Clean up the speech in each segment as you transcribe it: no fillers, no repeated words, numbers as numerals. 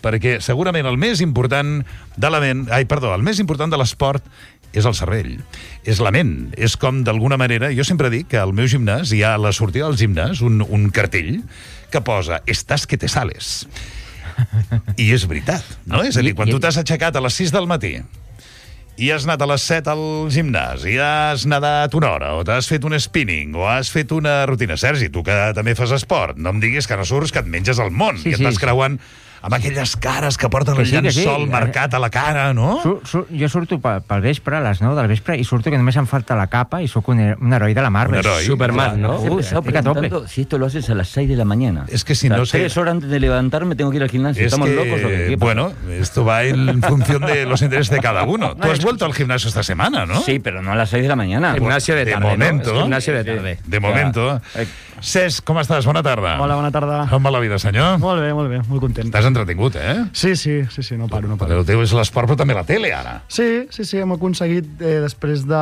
perquè segurament el més important de la ment... el més important de l'esport és el cervell, és la ment. És com, d'alguna manera, jo sempre dic que al meu gimnàs hi ha a la sortida del gimnàs un cartell que posa «Estàs que te sales». I és veritat, no? És a dir, quan tu t'has aixecat a les 6 del matí i has anat a les 7 al gimnàs i has nedat una hora, o t'has fet un spinning, o has fet una rutina... Sergi, tu que també fas esport, no em diguis que no surts, que et menges el món, i et vas creuant amb aquelles cares que porten el llençol marcat a la cara, no? Jo surto pel vespre, a les 9 del vespre, i surto que només em falta la capa i sóc un heroi de la Marvel. Un heroi. Superman, ¿no? Estaba preguntando si esto lo haces a las 6 de la mañana. Es que si no sé... 3 horas antes de levantarme tengo que ir al gimnasio. ¿Estamos locos o qué? Bueno, esto va en función de los intereses de cada uno. Tú has vuelto al gimnasio esta semana, ¿no? Sí, pero no a las 6 de la mañana. Gimnasio de tarde, momento. ¿no? Gimnasio de tarde. De momento. Cesc, com estàs? Bona tarda. Hola, bona tarda. Com va la vida, senyor? Molt bé, molt content. T'has entretingut, eh? Sí, no paro. El teu és l'esport, però també la tele, ara. Sí, hem aconseguit, després de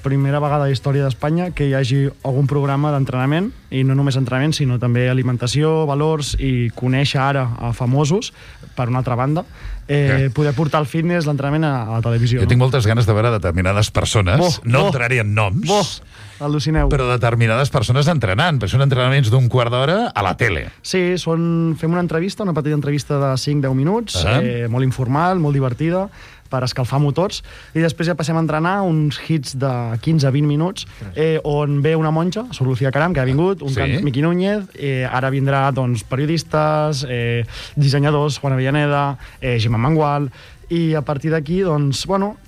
primera vegada a la història d'Espanya, que hi hagi algun programa d'entrenament, i no només entrenament, sinó també alimentació, valors, i conèixer ara a famosos, per una altra banda, poder portar el fitness, l'entrenament a la televisió. Jo tinc moltes ganes de veure determinades persones, no entraré en noms, al·lucineu. Però determinades persones entrenant, perquè són entrenaments d'un quart d'hora a la tele. Sí, fem una entrevista, una petita entrevista de 5-10 minuts, molt informal, molt divertida, per escalfar motors, i després ja passem a entrenar uns hits de 15-20 minuts, on ve una monja, Sor Lucía Caram, que ha vingut, Miqui Núñez, ara vindrà periodistes, dissenyadors, Juan Avellaneda, Gemma Mangual, i a partir d'aquí,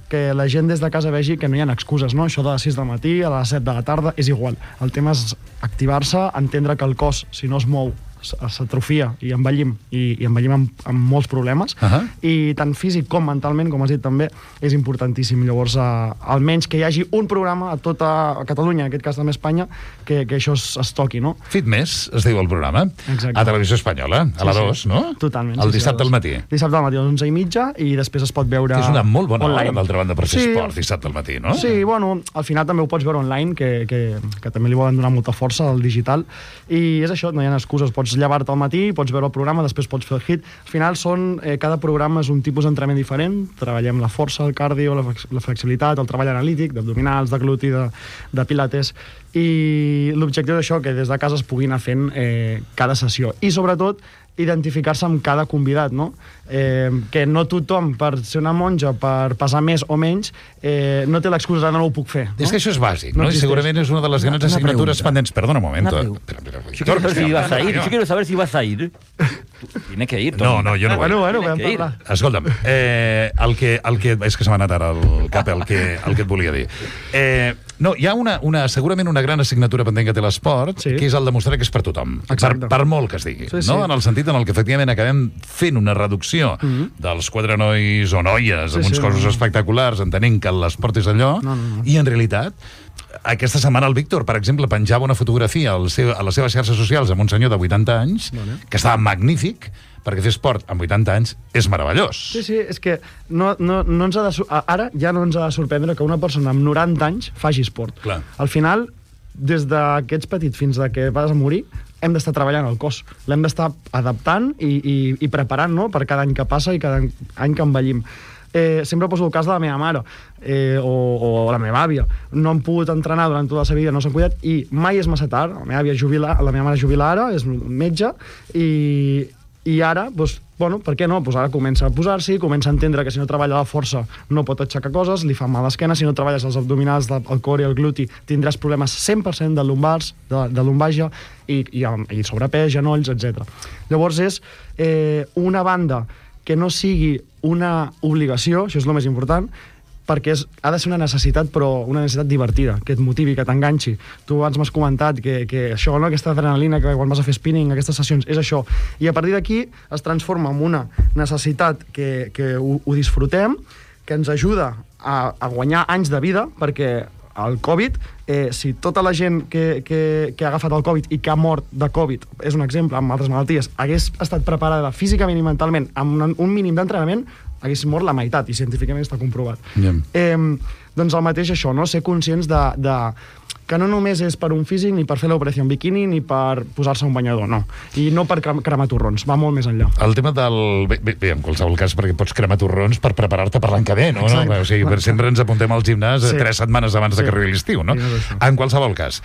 que la gent des de casa vegi que no hi ha excuses, no? Això de les 6 del matí a les 7 de la tarda és igual. El tema és activar-se, entendre que el cos, si no es mou, s'atrofia i envellim, i envellim amb molts problemes, i tant físic com mentalment, com has dit també, és importantíssim. Llavors, almenys que hi hagi un programa a tota Catalunya, en aquest cas també Espanya, que això es toqui, no? Fitness, es diu el programa, a Televisió Espanyola, a la 2, no? Totalment. El dissabte al matí. Dissabte al matí, a les 11:30, i després es pot veure... És una molt bona hora, d'altra banda, per fer esport, dissabte al matí, no? Sí, al final també ho pots veure online, que també li volen donar molta força al digital, i és això, no hi ha excuses, pots llevar-te al matí, pots veure el programa, després pots fer el hit. Al final cada programa és un tipus d'entrenament diferent, treballem la força, el cardio, la flexibilitat, el treball analític, d'abdominals, de gluti, de pilates, i l'objectiu d'això, que des de casa es pugui anar fent cada sessió. I sobretot, identificar-se amb cada convidat, no? Que no tothom, per ser una monja, per pesar més o menys, no té l'excusa de no ho puc fer. És que això és bàsic, no? I segurament és una de les grans assignatures pendents. Perdona un moment. Yo quiero saber si vas a ir. Tienes que ir. No, jo no vull. Bueno, vam parlar. Escolta'm, és que se m'ha anat ara al cap el que et volia dir. No, hi ha segurament una gran assignatura pendent que té l'esport, que és el demostrar que és per tothom, per molt que es digui, no? En el sentit en el que efectivament acabem fent una reducció dels 4 nois o noies amb uns cossos espectaculars, entenent que l'esport és allò, i en realitat aquesta setmana el Víctor, per exemple, penjava una fotografia a les seves xarxes socials amb un senyor de 80 anys, que estava magnífic, perquè fer esport amb 80 anys és meravellós. Sí, és que ara ja no ens ha de sorprendre que una persona amb 90 anys faci esport. Clar. Al final, des d'aquests petits fins que vas a morir, hem d'estar treballant el cos. L'hem d'estar adaptant i preparant, no?, per cada any que passa i cada any que envellim. Sempre poso el cas de la meva mare o la meva àvia. No han pogut entrenar durant tota la seva vida, no s'han cuidat, i mai és massa tard. La meva mare jubila ara, és metge, i ara, per què no? Ara comença a posar-s'hi, comença a entendre que si no treballa la força no pot aixecar coses, li fa mal l'esquena, si no treballes els abdominals, el core i el gluti, tindràs problemes 100% de lumbars, de lumbàgia, i sobrepès, genolls, etc. Llavors és una banda que no sigui una obligació, això és el més important, perquè ha de ser una necessitat, però una necessitat divertida, que et motivi, que t'enganxi. Tu abans m'has comentat que això, no? Aquesta adrenalina que quan vas a fer spinning, aquestes sessions, és això. I a partir d'aquí es transforma en una necessitat que ho disfrutem, que ens ajuda a guanyar anys de vida, perquè el Covid, si tota la gent que ha agafat el Covid i que ha mort de Covid, és un exemple, amb altres malalties, hagués estat preparada físicament i mentalment amb un mínim d'entrenament, hagués mort la meitat, i científicament està comprovat. Doncs el mateix això, no? Ser conscients que no només és per un físic, ni per fer l'operació en biquini, ni per posar-se un banyador, no. I no per cremar torrons, va molt més enllà. El tema del... Bé, en qualsevol cas, perquè pots cremar torrons per preparar-te per l'any que ve, no? O sigui, sempre ens apuntem al gimnàs 3 setmanes abans de que arribi l'estiu, no? En qualsevol cas,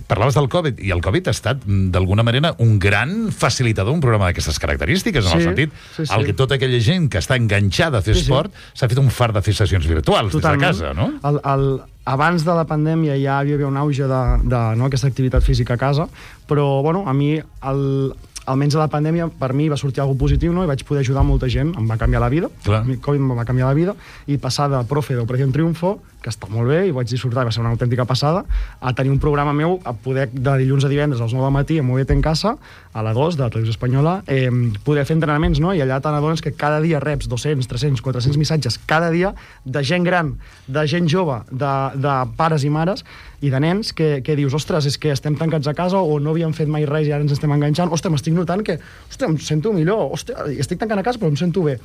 parlaves del Covid, i el Covid ha estat, d'alguna manera, un gran facilitador, un programa d'aquestes característiques, en el sentit, el que tota aquella gent que està enganxada a fer esport s'ha fet un fart de fer sessions virtuals des de casa, no? Abans de la pandèmia ja hi havia un auge d'aquesta activitat física a casa, però bueno, a mi almenys a la pandèmia per mi va sortir alguna positiu, no? I vaig poder ajudar molta gent, em va canviar la vida. El Covid em va canviar la vida, i passar de profe d'Operació Triunfo, que està molt bé, i vaig disfrutar, va ser una autèntica passada, a tenir un programa meu, a poder de dilluns a divendres als 9 del matí, a Movete en Casa, a la 2 de la Televisió Espanyola, poder fer entrenaments, no? I allà t'adones que cada dia reps 200, 300, 400 missatges cada dia de gent gran, de gent jove, de pares i mares, i de nens que dius, ostres, és que estem tancats a casa o no havíem fet mai res i ara ens estem enganxant, ostres, m'estic notant que, ostres, em sento millor, ostres, estic tancant a casa però em sento bé.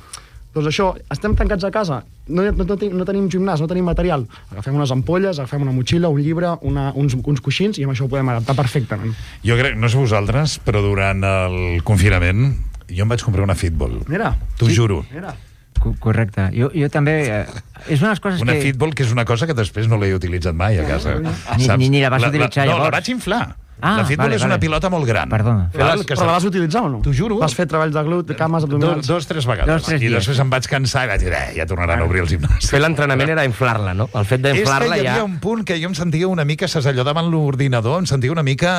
Doncs això, estem tancats a casa, no tenim gimnàs, no tenim material, agafem unes ampolles, agafem una motxilla, un llibre, uns coixins, i amb això ho podem adaptar perfectament. Jo crec, no sé vosaltres, però durant el confinament jo em vaig comprar una Fitball. Mira. T'ho juro. Mira. Correcte. Jo també... És unes coses una Fitball, que és una cosa que després no l'he utilitzat mai a casa. Ni la vas utilitzar llavors. No, la vaig inflar. La Fitball és una pilota molt gran. Perdona. Però la vas utilitzar o no? T'ho juro. Vas fer treballs de glut, cames, abdominals? 2-3 vegades. I després em vaig cansar i vaig dir, ja tornaran a obrir els gimnasos. Fer l'entrenament era inflar-la, no? El fet d'inflar-la ja... Hi havia un punt que jo em sentia una mica, saps, allò davant l'ordinador, em sentia una mica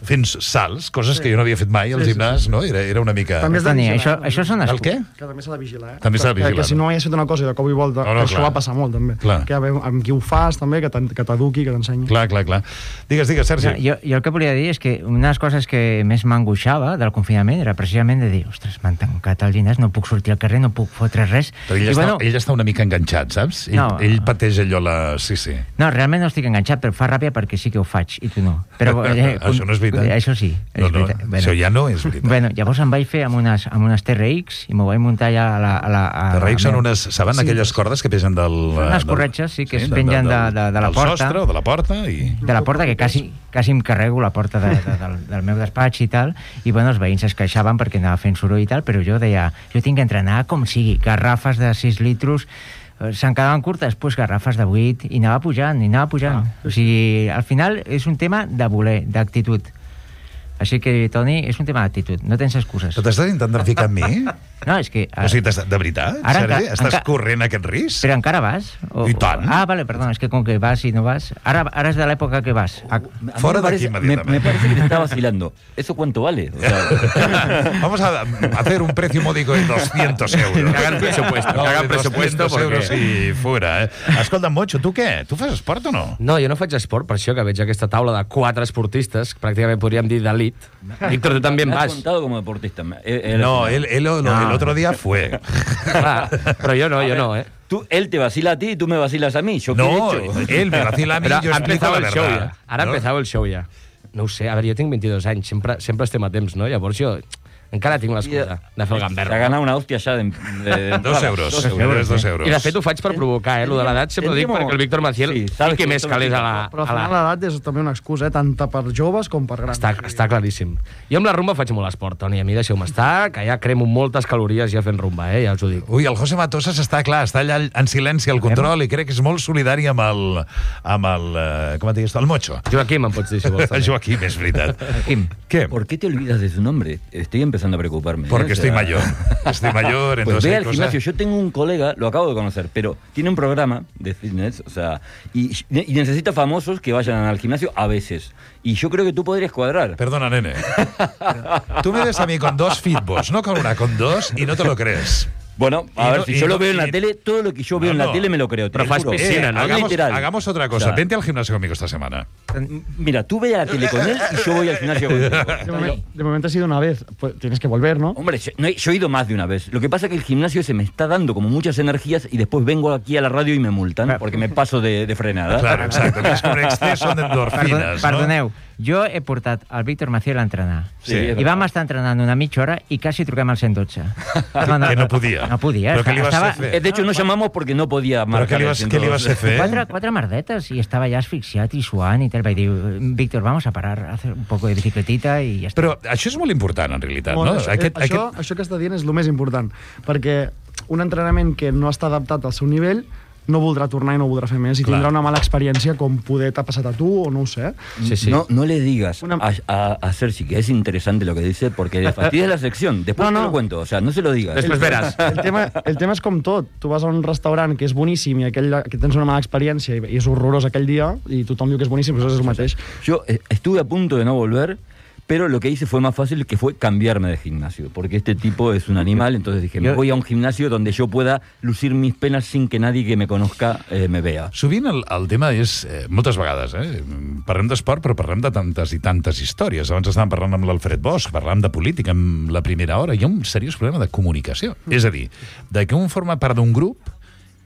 fent salts, coses que jo no havia fet mai al gimnàs, no? Era una mica... També has de vigilar. Això són el què? Que també s'ha de vigilar, També s'ha de vigilar. Que si no hagués fet una cosa i de cop i volta, això va passar molt, també. Que amb qui ho fas, també, que t'eduqui, que t'ensenyi. Clar. Digues, Sergi. Jo el que volia dir és que una de les coses que més m'angoixava del confinament era precisament de dir, ostres, m'han tancat al gimnàs, no puc sortir al carrer, no puc fotre res. Però ell està una mica enganxat, saps? Ell pateix allò Sí. No, realment no estic enganxat, però fa ràbia perquè sí que ho faig, i tu no. Però, això no és veritat. Això sí. Això ja no és veritat. Bueno, llavors em vaig fer amb unes TRX i m'ho vaig muntar ja a la... TRX són unes... Saben aquelles cordes que pesen del... Unes corretges, sí, que es pengen de la porta. Del sostre o de la porta i... De la porta, que quasi em carrego la porta del meu despatx i tal, i bueno, els veïns es queixaven perquè anava fent soroll i tal, però jo deia, jo tinc que entrenar com sigui, garrafes de 6 litros, se'n quedaven curtes, doncs garrafes de 8, i anava pujant. O sigui, al final és un tema de voler, d'actitud. Així que, Toni, és un tema d'actitud, no tens excuses. Però t'estàs intentant ficar amb mi? No, és que... O sigui, de veritat? Sergi? Estàs corrent aquest risc? Però encara vas? I tant. Vale, perdona, és que com que vas i no vas... Ara és de l'època que vas. Fora d'aquí, immediatamente. Me parece que te está vacilando. ¿Eso cuánto vale? O sea... Vamos a hacer un precio módico de 200 euros. Que hagan presupuesto. 200 euros i fuera, Escolta, Mocho, tu què? Tu fas esport o no? No, jo no faig esport, per això que veig aquesta taula de 4 esportistes, pràcticament podríem dir d'elit. Víctor, tú también vas. Me has contado como deportista. No, él el otro día fue. Pero yo no, Él te vacila a ti y tú me vacilas a mí. ¿Yo qué no, he hecho? él me vacila a mí y yo explico la verdad. Ara ha empezado el show ja. No ho sé, a veure, jo tinc 22 anys, sempre estem a temps, no? Llavors jo encara tinc l'excusa de fer el gamberro. S'ha ganat una hòstia ja de 2 euros. 2 euros. I de fet ho faig per provocar, lo de l'edat sempre ho dic perquè el Víctor Maciel fiqui més calés a la... Però al final l'edat és també una excusa, tant per joves com per grans. Està claríssim. Jo amb la rumba faig molt esport, Toni, a mi deixeu-me estar, que ja cremo moltes calories ja fent rumba, ja us ho dic. Ui, el José Matosas està allà en silenci al control i crec que és molt solidari amb el com et digues, el Mocho. Joaquim, em pots dir si vols. Joaquim, és veritat. ¿Qué? ¿Por qué te olvidas de su nombre? Estoy empezando a preocuparme. Porque estoy mayor. Estoy mayor, entonces... Pues ve al gimnasio. Yo tengo un colega, lo acabo de conocer, pero tiene un programa de fitness, o sea, y necesita famosos que vayan al gimnasio a veces. Y yo creo que tú podrías cuadrar. Perdona, nene. Tú me ves a mí con 2 Fitballs, no con una, con 2, y no te lo crees. Bueno, a ver, si yo lo veo en la tele, todo lo que yo veo en la tele me lo creo. Pero fas piscina, ¿no? Hagamos otra cosa. O sea, vente al gimnasio conmigo esta semana. Mira, tú ve a la tele con él y yo voy al gimnasio contigo. De momento ha sido una vez. Pues tienes que volver, ¿no? Hombre, yo he ido más de una vez. Lo que pasa es que el gimnasio se me está dando como muchas energías y después vengo aquí a la radio y me multan porque me paso de frenada. Claro, exacto. Es un exceso de endorfinas, Perdoneu, Jo he portat el Víctor Maciel a entrenar. Sí, I vam estar entrenant una mitja hora i quasi truquem al 112. Que no podia. No podia. Però què li vas fer? De hecho, no llamamos porque no podía Però marcar. què li vas fer? Quatre merdetes i estava ja asfixiat i suant i tal. Vaig dir, Víctor, vamos a parar, a hacer un poco de bicicletita i ja està. Però això és molt important, en realitat, Molt, no? Això que està dient és el més important, perquè un entrenament que no està adaptat al seu nivell no voldrà tornar i no voldrà fer més i Clar. tindrà una mala experiència com poder t'ha passat a tu o no ho sé. Sí. No le digas a Sergi que es interesante lo que dice porque le fastidia la sección. Después No. te lo cuento, o sea, no se lo digas. Després veràs. El tema és com tot. Tu vas a un restaurant que és boníssim i que tens una mala experiència i és horrorós aquell dia i tothom diu que és boníssim, però és el mateix. Yo estuve a punto de no volver, pero lo que hice fue más fácil, que fue cambiarme de gimnasio, porque este tipo es un animal, entonces dije, me voy a un gimnasio donde yo pueda lucir mis penas sin que nadie que me conozca me vea. Sovint el tema és, moltes vegades, parlem d'esport, però parlem de tantes i tantes històries. Abans estàvem parlant amb l'Alfred Bosch, parlàvem de política amb la primera hora. Hi ha un seriós problema de comunicació. És a dir, de que un forma part d'un grup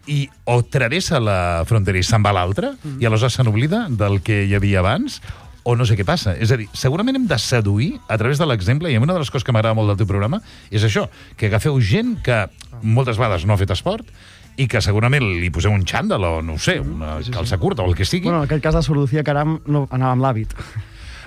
i o travessa la frontera i se'n va a l'altre, i aleshores se n'oblida del que hi havia abans, o no sé què passa. És a dir, segurament hem de seduir a través de l'exemple, i una de les coses que m'agrada molt del teu programa és això, que agafeu gent que moltes vegades no ha fet esport i que segurament li poseu un xandall o, no ho sé, una calça curta o el que sigui. Bueno, en aquell cas de Sor Lucía Caram no anava amb l'hàbit.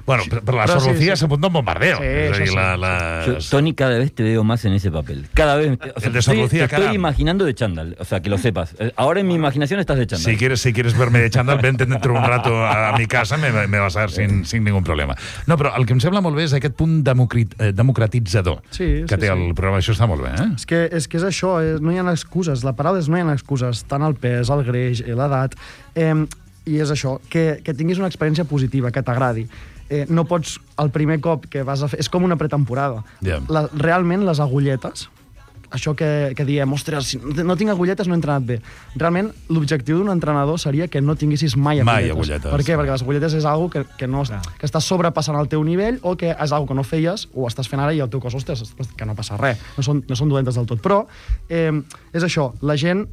Bueno, però la Però Sor Lucía sí. s'apunta un bombardeo. Sí, És a dir, això Yo, Tony, cada vez te veo más en ese papel. Cada vez. O sea, El de Sor Lucía te estoy Caram. imaginando de chándal. O sea, que lo sepas. Ahora en mi imaginación estás de chándal. Si quieres verme de chándal, vente dentro un rato a mi casa, me vas a ver sin ningún problema. No, però el que em sembla molt bé és aquest punt democratitzador Sí, que té el programa. Això està molt bé, eh? És que és això, no hi ha excuses. La paraula és no hi ha excuses. Tant el pes, el greix, l'edat... I és això, que tinguis una experiència positiva, que t'agradi. No pots, el primer cop que vas a fer... És com una pretemporada. Ja. Realment, les agulletes, això que diem, ostres, si no tinc agulletes no he entrenat bé. Realment, l'objectiu d'un entrenador seria que no tinguessis mai agulletes. Per què? Perquè les agulletes és algo que estàs sobrepassant el teu nivell o que és algo que no feies o estàs fent ara i el teu cos, ostres, que no passa res. No són dolentes del tot. Però és això, la gent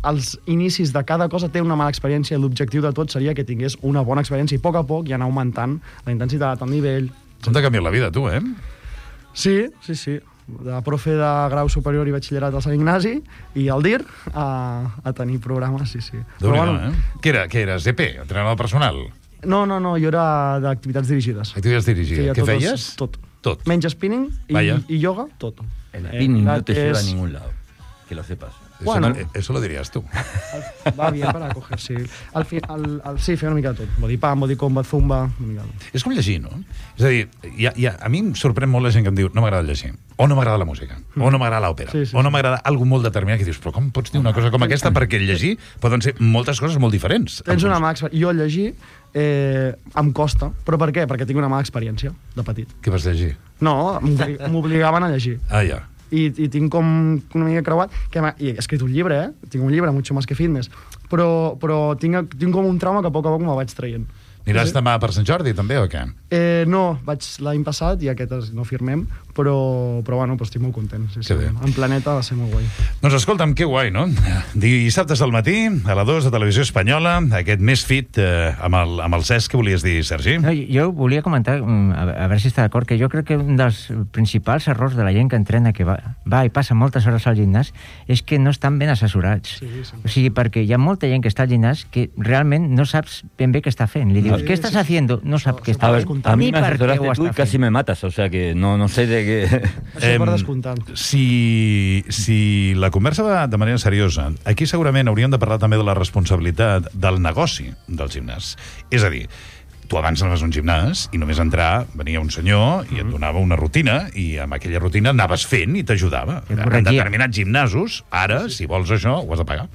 als inicis de cada cosa té una mala experiència i l'objectiu de tot seria que tingués una bona experiència i a poc i anar augmentant la intensitat, el nivell... Com t'ha canviat la vida, tu, eh? Sí. De profe de grau superior i batxillerat al Sant Ignasi i al DIR a tenir programes, sí. Déu-n'hi-do, Què eres? EP? Entrenador personal? No, jo era d'activitats dirigides. Activitats dirigides. Què feies? Tot. Menys spinning i yoga, tot. El spinning no te lleva a ningún lado. Que lo sepas. Bueno, Eso lo dirías tú. Va bien para coger, sí. Sí, fer una mica de tot. Body pump, body combat, zumba... Una mica de tot. És com llegir, no? És a dir, a mi em sorprèn molt la gent que em diu no m'agrada llegir, o no m'agrada la música, o no m'agrada l'òpera, Sí. o no m'agrada alguna molt determinat, que dius, però com pots dir una cosa com aquesta? Perquè llegir poden ser moltes coses molt diferents. Tens una mala experiència. Jo llegir em costa. Però per què? Perquè tinc una mala experiència de petit. Què vas llegir? No, m'obligaven a llegir. Ah, ja. I tinc com una mica creuat i he escrit un llibre, tinc un llibre, Mucho más que fitness, però tinc com un trauma que a poc me'l vaig traient. Aniràs demà per Sant Jordi, també, o què? No, vaig l'any passat i aquest no firmem, però bueno, estic molt content. Sí, bé. En Planeta va ser molt guai. Doncs escolta'm, que guai, no? Dissabtes al matí, a la 2 de Televisió Espanyola, aquest Més Fit amb el Cesc, que volies dir, Sergi? No, jo volia comentar, a veure si està d'acord, que jo crec que un dels principals errors de la gent que entrena, que va i passa moltes hores al gimnàs, és que no estan ben assessorats. Sí. O sigui, perquè hi ha molta gent que està al gimnàs que realment no saps ben bé què està fent. Li dius, ¿qué estás haciendo? No sap què està A ver, fent. a mí Ni me per què asesoraste ho tú y està casi fent. me matas, o sea que no sé de qué... Això per descomptant. Si la conversa va de manera seriosa, aquí segurament hauríem de parlar també de la responsabilitat del negoci del gimnàs. És a dir, tu abans anaves a un gimnàs i només entrar venia un senyor i et donava una rutina i amb aquella rutina anaves fent i t'ajudava. Et En corregia. determinats gimnasos, ara, si vols això, ho has de pagar.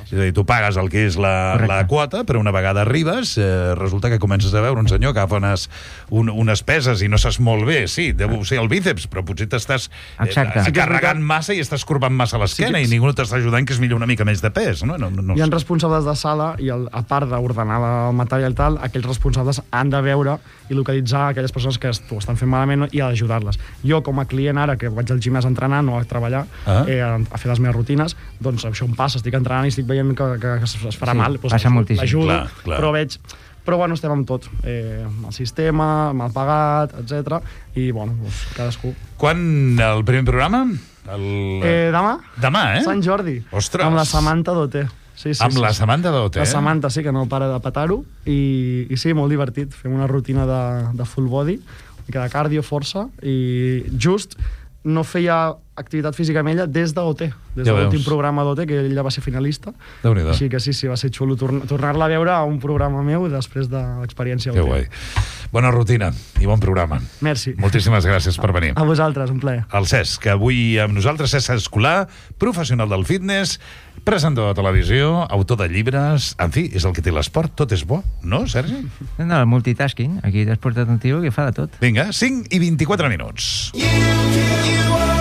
És a dir, tu pagues el que és la quota, però una vegada arribes, resulta que comences a veure un senyor que agafa unes peses i no saps molt bé, sí, deu ser el bíceps, però potser t'estàs Exacte. carregant massa i estàs corbant massa l'esquena i ningú no t'està ajudant, que és millor una mica més de pes, no? Hi ha responsables de sala i a part d'ordenar el material i tal, aquells responsables han de veure i localitzar aquelles persones que ho estan fent malament i ajudarles. Jo, com a client ara, que vaig al gimnàs a entrenar, no a treballar, a fer les meves rutines, doncs això em passa, estic entrenant i estic veient que es farà mal. Doncs passa moltíssim. l'ajudo, Clar. però veig... Però, bueno, estem amb tot. Amb el sistema, mal pagat, etc. I, bueno, doncs, cadascú. Quan el primer programa? Demà? Demà, Sant Jordi. Ostres. Amb la Samantha Doté. Sí, amb la Samantha Doté. La Samantha, sí, que no para de petar-ho. I sí, molt divertit. Fem una rutina de full body, de cardio, força, i just no feia activitat física amb ella des d'OT, des de l'últim programa d'OT, que ella va ser finalista. Déu-n'hi-do. Així que sí, va ser xulo tornar-la a veure a un programa meu després de l'experiència OT. Que guai. Bona rutina i bon programa. Merci. Moltíssimes gràcies per venir. A vosaltres, un plaer. El Cesc, que avui amb nosaltres, Cesc Escolà, professional del fitness, presentador de televisió, autor de llibres, en fi, és el que té l'esport, tot és bo, no, Sergi? No, el multitasking, aquí t'has portat un tio que fa de tot. Vinga, 5 i 24 minuts. You